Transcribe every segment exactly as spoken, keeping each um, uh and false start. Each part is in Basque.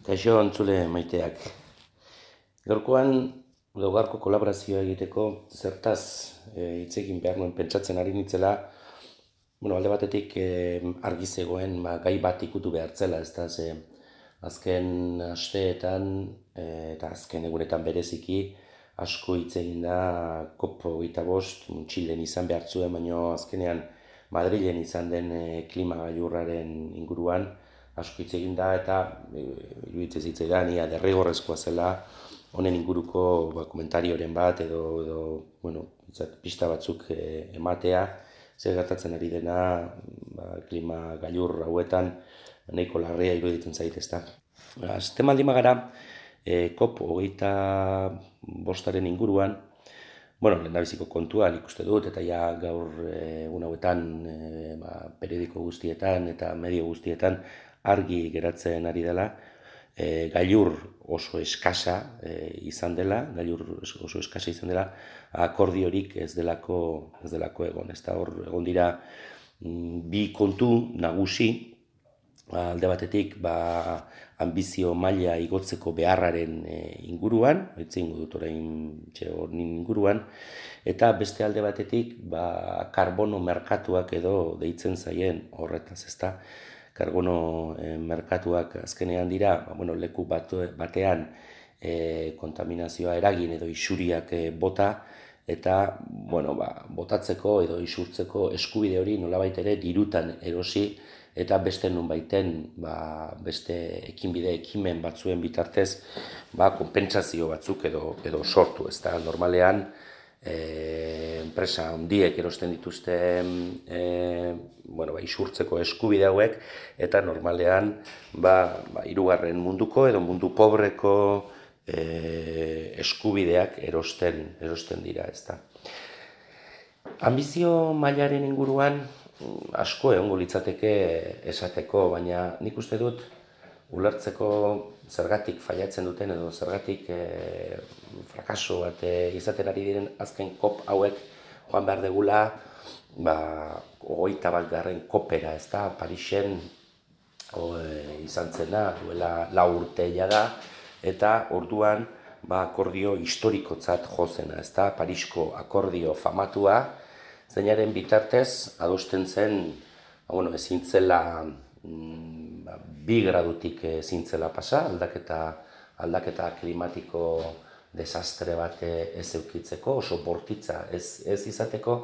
Kaixo entzule maiteak. Gaurkoan, edo gaurko kolaborazioa egiteko zertaz e, hitz egin behar nuen pentsatzen ari nitzela, bueno, alde batetik e, argi zegoen ba, gai bat ikutu behartzela, ez da, ze azken asteetan e, eta azken egunetan bereziki asko hitz egin da COP hogeita bost Txilen izan behar zuen, baino azkenean Madrilen izan den e, klima gailurraren inguruan asko hitz egin da eta e, iruditzen zitzaidan ia derrigorrezkoa zela honen inguruko ba, komentarioren bat edo, edo bueno, pista batzuk e, ematea, zer gertatzen ari dena ba, klima gailur hauetan nahiko larria iruditzen zait, ezta. Azten baldin bagara, e, COP hogeita bostaren inguruan, bueno, lehendabiziko kontuan ikuste dut, eta ja gaur egun hauetan e, ba, periodiko guztietan eta medio guztietan argi geratzen ari dela, e, gailur oso eskasa e, izan dela, gailur oso eskasa izan dela, akordiorik ez delako, ez delako egon. Ez da hor egon dira bi kontu nagusi, alde batetik ba, ambizio maila igotzeko beharraren e, inguruan, etzingo dut orain honin inguruan, eta beste alde batetik ba, karbono merkatuak edo deitzen zaien horretaz, ezta. Karbono e, merkatuak azkenean dira, ba, bueno, leku bat, batean e, kontaminazioa eragin edo isuriak e, bota, eta bueno, ba, botatzeko edo isurtzeko eskubide hori nolabait ere dirutan erosi, eta beste nonbaiten ba, beste ekinbide ekimen batzuen bitartez ba, konpentsazio batzuk edo, edo sortu, ez da, normalean e, enpresa handiek erosten dituzte e, bueno, ba, isurtzeko eskubide hauek, eta normalean ba, ba, hirugarren munduko edo mundu pobreko e, eskubideak erosten, erosten dira, ez da. Ambizio mailaren inguruan asko egongo litzateke esateko, baina nik uste dut ulertzeko zergatik failatzen duten edo zergatik e, frakaso bat e, izaten ari diren azken COP hauek joan behar degula ba, hogeita bat garren COPera, ez da, Parisen o, e, izan zena duela lau urte da, eta orduan ba, akordio historikotzat jozena, ez da, Parisko akordio famatua, zeinaren bitartez adosten zen, bueno, ezin zela mm, bi gradutik ezin zela pasa, aldaketa, aldaketa klimatiko desastre bat ez eukitzeko, oso bortitza ez, ez izateko,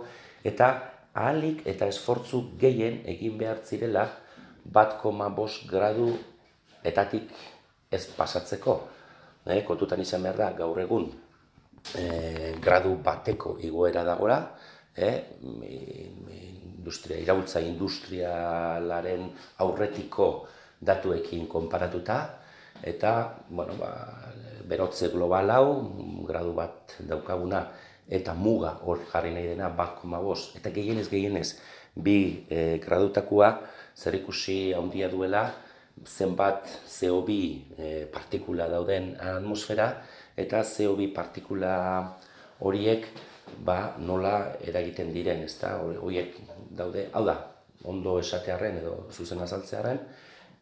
eta ahalik eta esfortzu gehien egin behar zirela bat koma bost gradu etatik ez pasatzeko. E, kontutan izan behar da gaur egun e, gradu bateko igoera dagoela, E, industria, iraultza industrialaren aurretiko datuekin konparatuta, eta bueno, ba, berotze global hau, gradu bat daukaguna, eta muga hor jarri nahi dena bat koma bost, eta gehienez gehienez bi e, gradutakoa zerikusi handia duela zenbat C O bi e, partikula dauden atmosfera, eta C O bi partikula horiek ba, nola eragiten diren, ez da, horiek daude, hau da, ondo esatearren edo zuzen azaltzearen,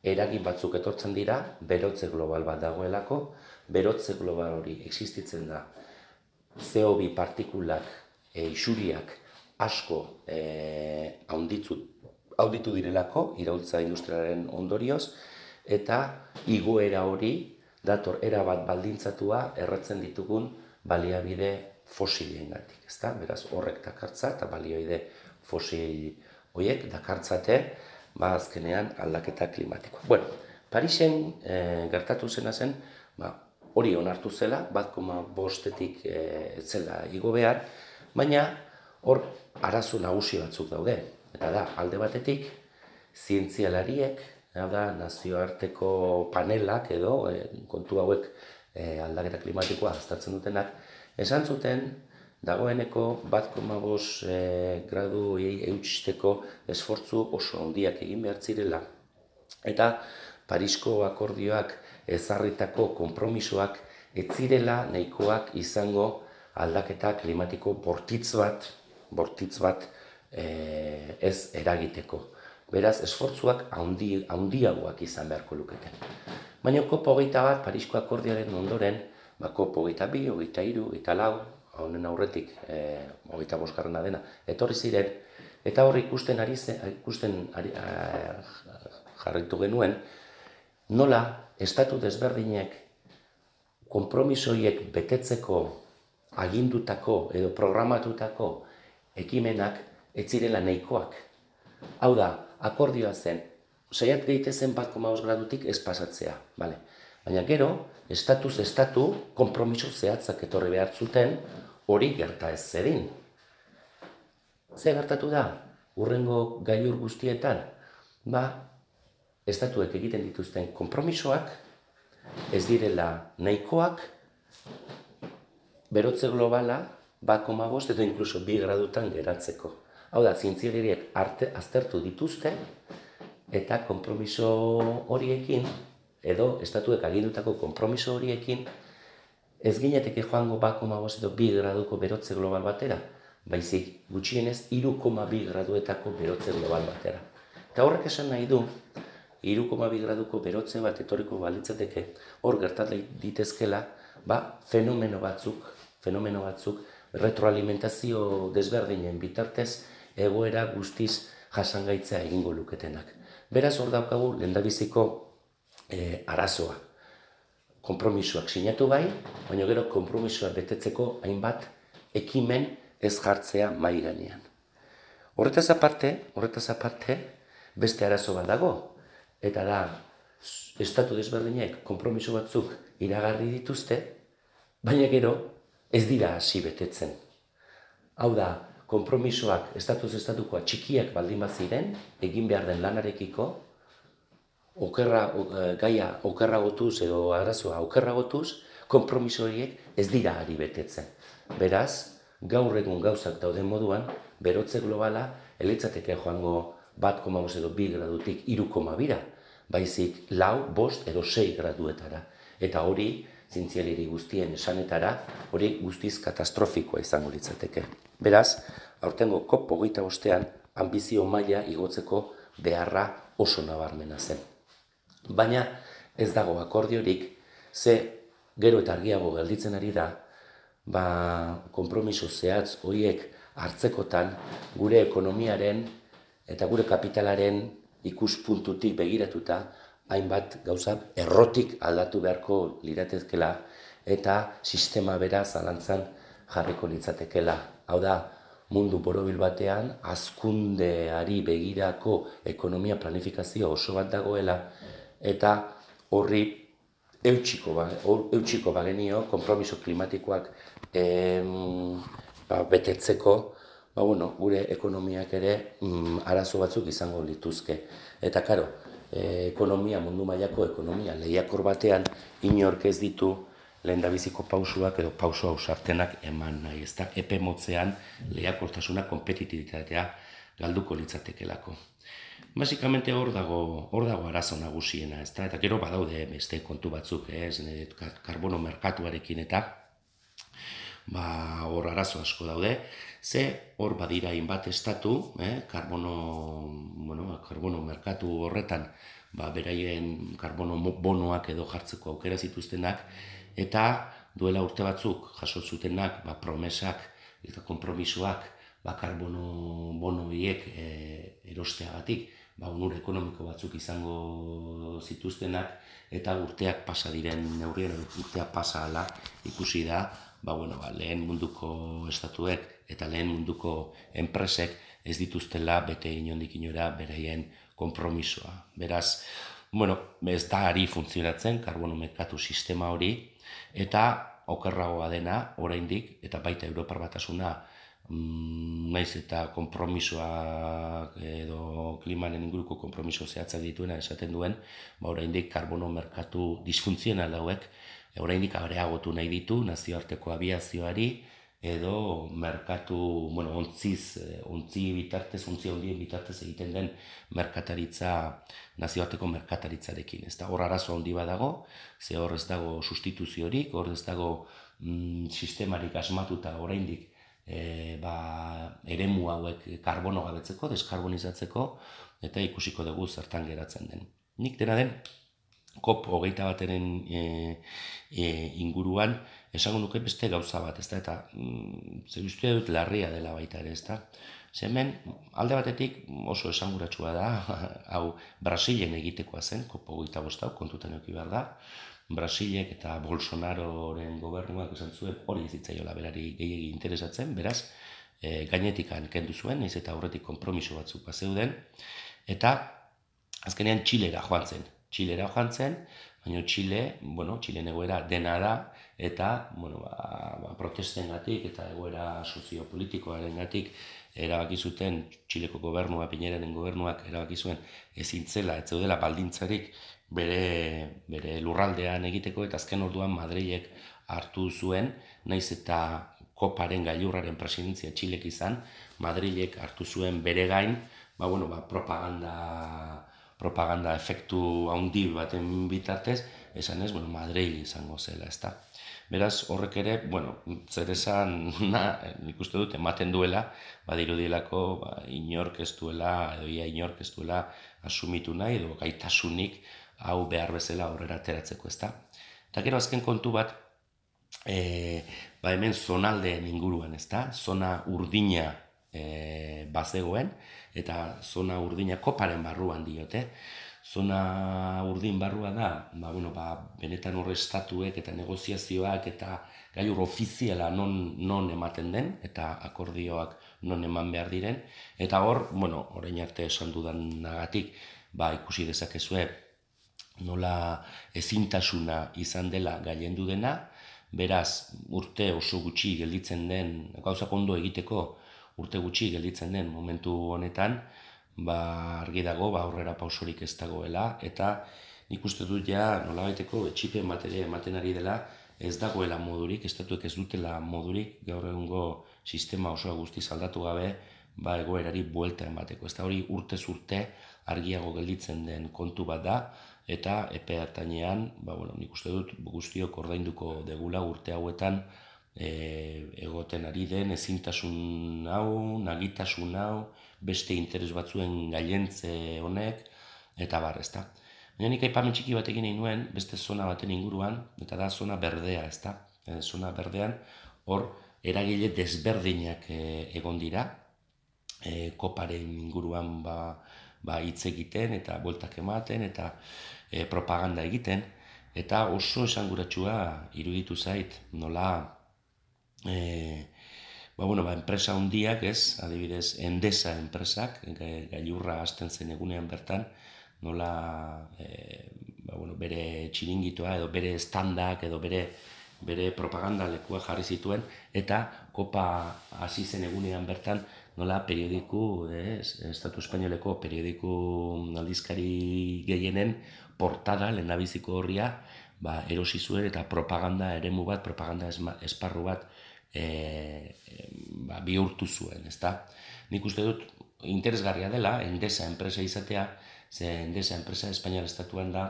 eragin batzuk etortzen dira, berotze global bat dagoelako, berotze global hori existitzen da, C O bi partikulak, e, isuriak asko e, haunditu, haunditu direlako, iraultza industrialaren ondorioz, eta igoera hori dator erabat baldintzatua erratzen ditugun baliabide fosiliengatik, ezta? Beraz, horrek dakartza eta balioide fosil horiek dakartzate, ba, azkenean aldaketa klimatikoa. Bueno, Parisen e, gertatu zena zen, ba, hori onartu zela, bat koma bostetik e, zela igo behar, baina hor arazo nagusi batzuk daude. Eta da, alde batetik, zientzialariek, da, nazioarteko panelak edo, e, kontu hauek e, aldaketa klimatikoa aztertzen dutenak, esan zuten, dagoeneko bat koma bost e, gradu eutxisteko esfortzu oso handiak egin behar zirela. Eta Parisko akordioak ezarritako konpromisoak ez zirela nahikoak izango aldaketa klimatiko bortitz bat, bortitz bat e, ez eragiteko. Beraz, esfortzuak handi, handiagoak izan beharko luketen. Baina kop hogeita bat, Parisko akordioaren ondoren, ba, kop hogeita bi, hogeita hiru, hogeita lau, honen aurretik e, hogeita bosgarrena dena, etorri ziren, eta hor ikusten ari zen, ikusten ari, a, jarritu genuen, nola estatu desberdinek konpromisoiek betetzeko agindutako edo programatutako ekimenak ez zirela nahikoak. Hau da, akordioa zen, saiat daitezen bat koma bost gradutik ez pasatzea, bale. Baina gero, estatuz estatu konpromiso zehatzak etorri behar zuten hori gerta ez zedin. Ze gertatu da, hurrengo gailur guztietan, ba, estatuek egiten dituzten konpromisoak ez direla nahikoak, berotze globala bat koma bost edo inkluso bi gradutan geratzeko. Hau da, zientzialariek aztertu dituzte eta konpromiso horiekin, edo estatuek agindutako konpromiso horiekin, ez gineteke joango bat koma bost edo bi graduko berotze global batera, baizik gutxienez hiru koma bi graduetako berotze global batera. Eta horrek esan nahi du, hiru koma bi graduko berotze bat etorriko balitzateke, hor gertat ditezkela, ba, fenomeno batzuk, fenomeno batzuk, retroalimentazio desberdinen bitartez, egoera guztiz jasangaitzea egingo luketenak. Beraz, hor daukagu lehendabiziko e, arazoa. Konpromisoak sinatu bai, baina gero konpromisoak betetzeko hainbat ekimen ez jartzea mahai gainean. Horretaz aparte, horretaz aparte, beste arazo bat dago, eta da, estatu desberdinek konpromiso batzuk iragarri dituzte, baina gero ez dira hasi betetzen. Hau da, konpromisoak estatuz estatukoa txikiak baldin bat ziren, egin behar den lanarekiko, okerra, gaia okerragotuz edo arazoa okerragotuz, konpromiso horiek ez dira ari betetzen. Beraz, gaur egun gauzak dauden moduan, berotze globala elitzateke joango bat koma bost edo bi gradutik hiru koma bira, baizik lau, bost edo sei graduetara. Eta hori, zientzialari guztien esanetara, hori guztiz katastrofikoa izango litzateke. Beraz, aurtengo kop hogeita bostean, ambizio maila igotzeko beharra oso nabarmena zen. Baina ez dago akordiorik, ze gero eta argiago gelditzen ari da, ba, konpromiso zehatz horiek hartzekotan gure ekonomiaren eta gure kapitalaren ikuspuntutik begiratuta hainbat gauza errotik aldatu beharko liratezkela eta sistema bera zalantzan jarriko litzatekela. Hau da, mundu borobil batean hazkundeari begirako ekonomia planifikazio oso bat dagoela eta horri eutxiko, ba, eutxiko bagenio konpromiso klimatikoak em, ba, betetzeko, ba, bueno, gure ekonomiak ere mm, arazo batzuk izango lituzke. Eta karo, e, ekonomia, mundu mailako ekonomia lehiakor batean inork ez ditu lehendabiziko pausuak edo pauso ausartenak eman nahi, ezta epe motzean lehiakortasuna, kompetitibitatea galduko litzatekelako. Basikamente hor dago, hor dago arazo nagusiena, ezta? Eta gero badaude beste kontu batzuk, ez, karbono merkatuarekin eta ba, hor arazo asko daude, ze hor badira hainbat estatu, eh, karbono, bueno, karbono merkatu horretan, ba, beraien karbono bonoak edo jartzeko aukera zituztenak, eta duela urte batzuk jaso zutenak, ba, promesak eta konpromisoak, ba, karbono bono horiek e, erosteagatik, ba, onur ekonomiko batzuk izango zituztenak, eta urteak pasa diren neurrien, urteak pasa ala ikusi da, ba, bueno, ba, lehen munduko estatuek eta lehen munduko enpresek ez dituztela bete inondik inora beraien konpromisoa. Beraz, bueno, ez da ari funtzionatzen karbono merkatu sistema hori, eta okerragoa dena oraindik, eta baita Europar Batasuna, naiz eta konpromisoak edo klimaren inguruko konpromiso zehatzak dituena esaten duen, ba, oraindik karbono merkatu disfuntzional hauek oraindik areagotu nahi ditu nazioarteko abiazioari edo merkatu, bueno, ontziz, ontzi bitartez, ontzi handien bitartez egiten den merkataritza, nazioarteko merkataritzarekin. Ez da, hor arazo handi badago, ze hor ez dago sustituziorik, hor ez dago mm, sistemarik asmatuta oraindik E, ba, eremu hauek karbono gabetzeko, deskarbonizatzeko, eta ikusiko dugu zertan geratzen den. Nik dena den, COP hogeita bateren e, e, inguruan, esango nuke beste gauza bat, ezta? Eta mm, zer uste dut larria dela baita ere, ezta? Ze hemen, alde batetik oso esanguratsua da, hau Brasilen egitekoa zen, COP hogeita bost hau, kontutan eduki behar da. Brasilek eta Bolsonaroren gobernuak esan zuen hori ez zitzaiola berari gehiegi interesatzen, beraz, e, gainetikan kendu zuen, naiz eta aurretik konpromiso batzuk bazeuden, eta azkenean Txilera joan zen. Txilera joan zen, baina Txile, bueno, Txilen egoera dena da, eta, bueno, ba, ba, protestengatik eta egoera soziopolitikoarengatik erabaki zuten Txileko gobernua, Piñeraren gobernuak erabaki zuen ezin zela, ez zeudela baldintzarik bere, bere lurraldean egiteko, eta azken orduan Madrilek hartu zuen, naiz eta koparen gailurraren presidentzia Txilek izan, Madrilek hartu zuen bere gain, ba, bueno, ba, propaganda propaganda efektu handi baten bitartez, esan ez, bueno, Madrid izango zela, ezta. Beraz, horrek ere, bueno, zer esan, na, nik uste dut, ematen duela, badirudielako, ba, inork ez duela, edo ia inork ez duela asumitu nahi, edo gaitasunik hau behar bezala aurrera ateratzeko, ezta. Eta gero azken kontu bat, e, ba hemen zonaldeen inguruan, ezta, zona urdina e, bazegoen, eta zona urdina koparen barruan diote. Zona urdin barrua da, ba, bueno, ba, benetan horre estatuek eta negoziazioak eta gailur ofiziala non, non ematen den, eta akordioak non eman behar diren. Eta hor, bueno, orain arte esan dudanagatik, ba, ikusi dezakezue nola ezintasuna izan dela gailendu dena, beraz, urte oso gutxi gelditzen den, gauzak ondo egiteko, urte gutxi gelditzen den momentu honetan, ba, argi dago, ba, aurrera pausorik ez dagoela, eta nik uste dut ja nolabaiteko etxipen bat ere ematen ari dela, ez dagoela modurik, estatuek ez dutela modurik, gaur egungo sistema osoa guztiz aldatu gabe, ba, egoerari buelta emateko. Ez da hori urtez urte argiago gelditzen den kontu bat da, eta epe hartainean, ba, bueno, nik uste dut guztiok ordainduko degula urte hauetan, E, egoten ari den ezintasun hau, nagitasun hau, beste interes batzuen gailentze honek, eta bar, ezta. Baina nik aipamen txiki bat egin nahi nuen, beste zona baten inguruan, eta da zona berdea, ezta. E, zona berdean, hor, eragile desberdinak e, egon dira, e, koparen inguruan ba, ba hitz egiten, eta bueltak ematen, eta e, propaganda egiten, eta oso esanguratsua iruditu zait, nola, E, ba, bueno, ba, enpresa handiak, ez, adibidez, Endesa enpresak, gailurra hasten zen egunean bertan, nola e, ba, bueno, bere txiringitoa edo bere standak edo bere, bere propaganda lekua jarri zituen, eta kopa hasi zen egunean bertan, nola periodiku, ez, Estatu Espainoleko periodiku aldizkari gehienen portada, lehendabiziko horria, ba, erosi zuen eta propaganda eremu bat, propaganda esparru bat e, e, ba, bihurtu zuen, ezta? Nik uste dut interesgarria dela Endesa enpresa izatea, ze Endesa enpresa Espainiar estatuan da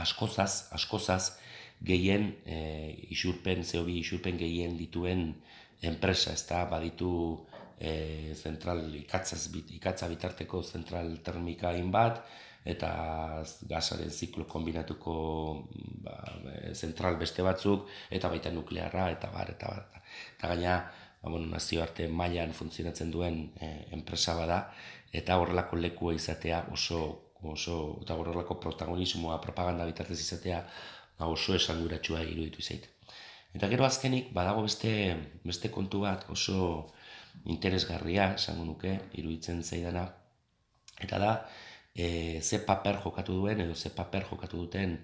askozaz, askozaz gehien e, isurpen, C O bi isurpen gehien dituen enpresa, ezta? Baditu e, zentral ikatzaz, ikatza bitarteko zentral termika hainbat, eta gasaren ziklo kombinatuko ba, zentral beste batzuk, eta baita nuklearra, eta bar, eta bar. Eta gaina, ba, bueno, nazioarte mailan funtzionatzen duen e, enpresa bada, eta horrelako lekua izatea oso, oso eta horrelako protagonismoa, propaganda bitartez izatea, ba, oso esanguratsua iruditu zait. Eta gero azkenik, badago beste, beste kontu bat oso interesgarria, esango nuke, iruditzen zaidana, eta da, E, ze paper jokatu duen edo ze paper jokatu duten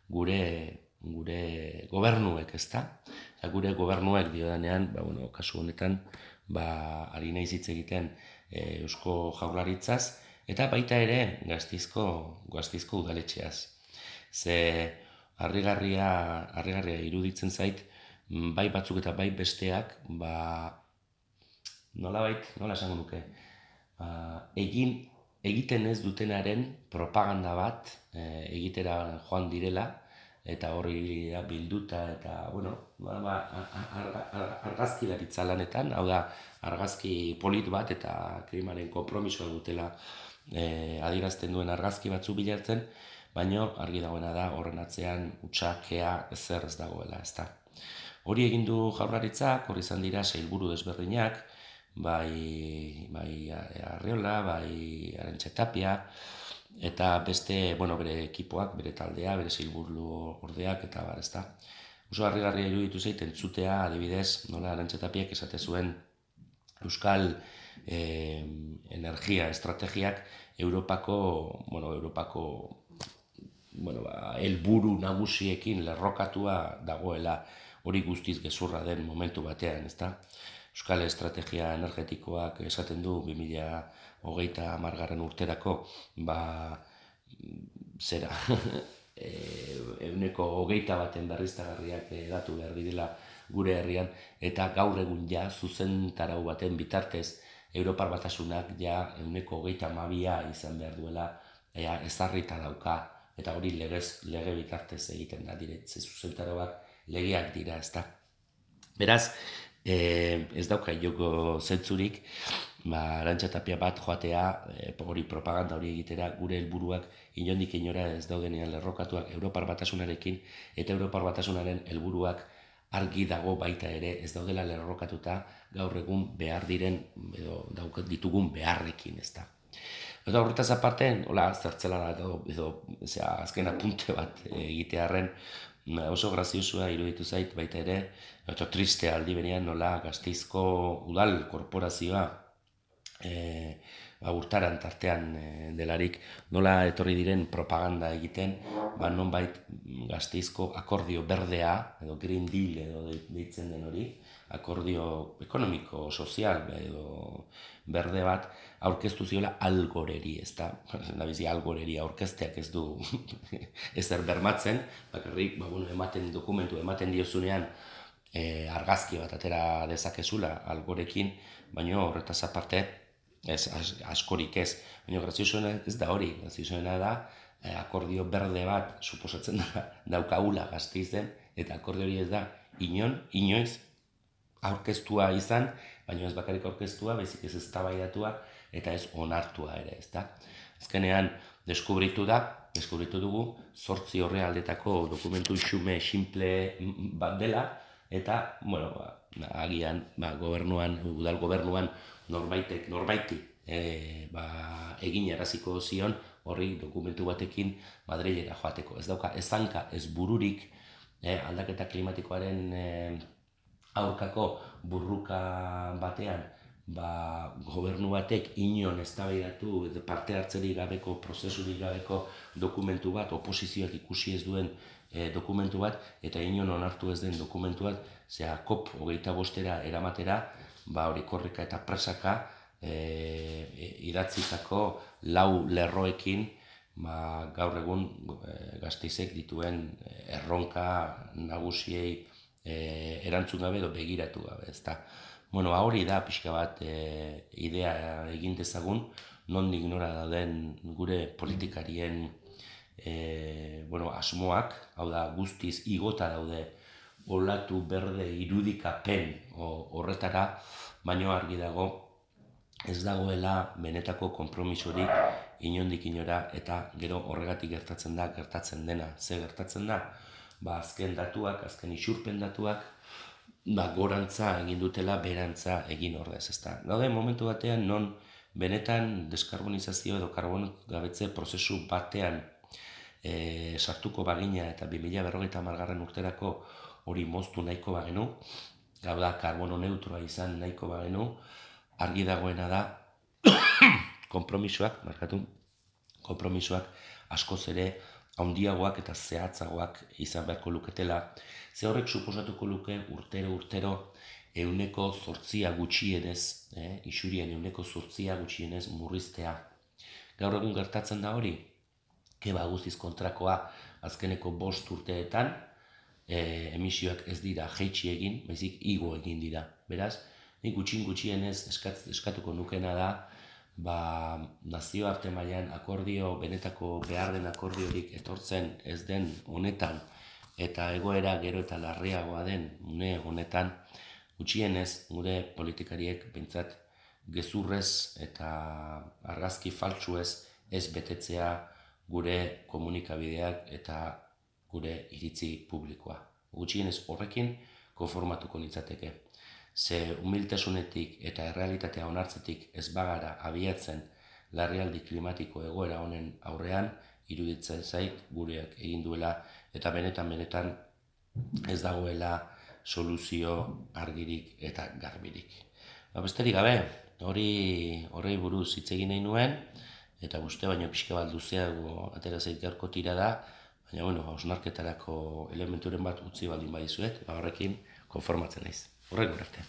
gure, gure gobernuek, ezta? Eta gure gobernuek diodanean, ba, bueno, kasu honetan, ba, ari naiz hitz egiten e, Eusko Jaurlaritzaz, eta baita ere Gasteizko, Gasteizko udaletxeaz. Ze harrigarria, harrigarria iruditzen zait, bai batzuk eta bai besteak, ba, nolabait, nola esango nuke, ba, egin egiten ez dutenaren propaganda bat e, egitera joan direla, eta hori bilduta, eta, bueno, ba, ba, argazkilaritza lanetan, hau da, argazki polit bat eta klimaren konpromisoa dutela e, adierazten duen argazki batzu bilatzen, baino argi dagoena da horren atzean utxakea ezer ez dagoela, ezta. Hori egin du Jaurlaritzak, hori izan dira sailburu desberdinak, bai, bai Arriola, bai Arantxa Tapia, eta beste, bueno, bere ekipoak, bere taldea, bere sailburu ordeak, eta bar, ezta. Oso harrigarria iruditu zait entzutea, adibidez, nola Arantxa Tapiak esate zuen Euskal eh, energia estrategiak Europako, bueno, Europako bueno, ba, helburu nagusiekin lerrokatua dagoela, hori guztiz gezurra den momentu batean, ezta? Euskal estrategia energetikoak esaten du bi mila hogeita hamargarren urterako, ba, zera, ehuneko hogeita baten berriztagarriak datu behar direla gure herrian, eta gaur egun ja zuzentarau baten bitartez Europar Batasunak ja ehuneko hogeita hamabia izan behar duela ea, ezarrita dauka, eta hori legez, lege bitartez egiten da diretze zuzentarauak legeak dira, ezta. Beraz, eh, ez dauka joko zentzurik, ba, Arantxa Tapia bat joatea, eh, hori propaganda hori egitera, gure helburuak inondik inora ez daudenean lerrokatuak Europar Batasunarekin, eta Europar Batasunaren helburuak argi dago baita ere ez daudela lerrokatuta gaur egun behar diren, edo daukat ditugun beharrekin, ezta. Eta horretaz aparte, hola, zertzela da, edo, edo zera, azken apunte bat egitearren, oso graziosua iruditu zait baita ere, eta triste aldi berean nola Gasteizko udal korporazioa e, ba, urtaran tartean e, delarik, nola etorri diren propaganda egiten, ba, nonbait Gasteizko akordio berdea, edo Green Deal edo deitzen den hori, akordio ekonomiko, sozial edo berde bat, aurkeztu ziola Algoreri, ez da, nabizi Algoreri aurkezteak ez du ezer bermatzen, bakarrik, ba, bueno, ematen dokumentu, ematen diozunean e, argazki bat atera dezakezula Algorekin, baina horretaz aparte, ez, as, askorik ez, baina graziosuena ez da hori, graziosuena da, e, akordio berde bat suposatzen da daukagula Gasteizen, eta akordio hori ez da inon, inoiz, aurkeztua izan, baina ez bakarrik aurkeztua, baizik ez eztabaidatua eta ez onartua ere, ezta. Azkenean deskubritu da, deskubritu dugu, zortzi horre aldetako dokumentu xume simple bat dela, eta, bueno, ba, agian, ba, gobernuan, udal gobernuan norbaitek, norbaiti, e, ba, egin eraziko zion, horri dokumentu batekin Madrilera joateko. Ez dauka, ez zanka, ez bururik, e, aldaketa klimatikoaren e, aurkako burruka batean, ba, gobernu batek inon eztabaidatu parte hartzerik gabeko, prozesurik gabeko dokumentu bat, oposizioak ikusi ez duen e, dokumentu bat, eta inon onartu ez den dokumentu bat, zera kop hogeita bostera eramatera, ba, hori korrika eta presaka e, idatzitako lau lerroekin, ba, gaur egun e, Gasteizek dituen erronka nagusiei E, erantzun gabe edo begiratu gabe, ezta. Bueno, hori da pixka bat e, idea egin dezagun, nondik nora dauden gure politikarien e, bueno, asmoak, hau da guztiz igota daude olatu berde irudikapen horretara, baino argi dago ez dagoela benetako konpromisorik inondik inora, eta gero horregatik gertatzen da, gertatzen dena, ze gertatzen da? Ba, azken datuak, azken isurpen datuak, ba, gorantza egin dutela, berantza egin ordez, ezta. Gaude, momentu batean, non benetan deskarbonizazio edo karbono gabetze prozesu batean e, sartuko bagina eta bi mila berrogeita hamargarren urterako hori moztu nahiko bagenu, gau da, karbono neutroa izan nahiko bagenu, argi dagoena da, konpromisoak, markatu, konpromisoak askoz ere, handiagoak eta zehatzagoak izan beharko luketela, ze horrek suposatuko luke urtero urtero ehuneko zortzia gutxienez, eh, isurien ehuneko zortzia gutxienez murriztea. Gaur egun gertatzen da hori, keba guztiz kontrakoa azkeneko bost urteetan, eh, emisioak ez dira jaitsi egin, baizik igo egin dira. Beraz, nik gutxin gutxienez eskat, eskatuko nukena da, ba, nazioarte mailan akordio, benetako behar den akordiorik etortzen ez den honetan, eta egoera gero eta larriagoa den une honetan, gutxienez gure politikariek behintzat gezurrez eta argazki faltsuez ez betetzea gure komunikabideak eta gure iritzi publikoa. Gutxienez horrekin konformatuko nitzateke. Ze humiltasunetik eta errealitatea onartzetik ez bagara abiatzen larrialdi klimatiko egoera honen aurrean, iruditzen zait gureak egin duela eta benetan benetan ez dagoela soluzio argirik eta garbirik. Ba, besterik gabe, hori horrei buruz hitz egin nahi nuen, eta guzti baino pixka bat luzeago atera zait gaurko tirada, baina bueno, hausnarketarako elementuren bat utzi baldin badizuet, ba horrekin konformatzen naiz. Horrek arte.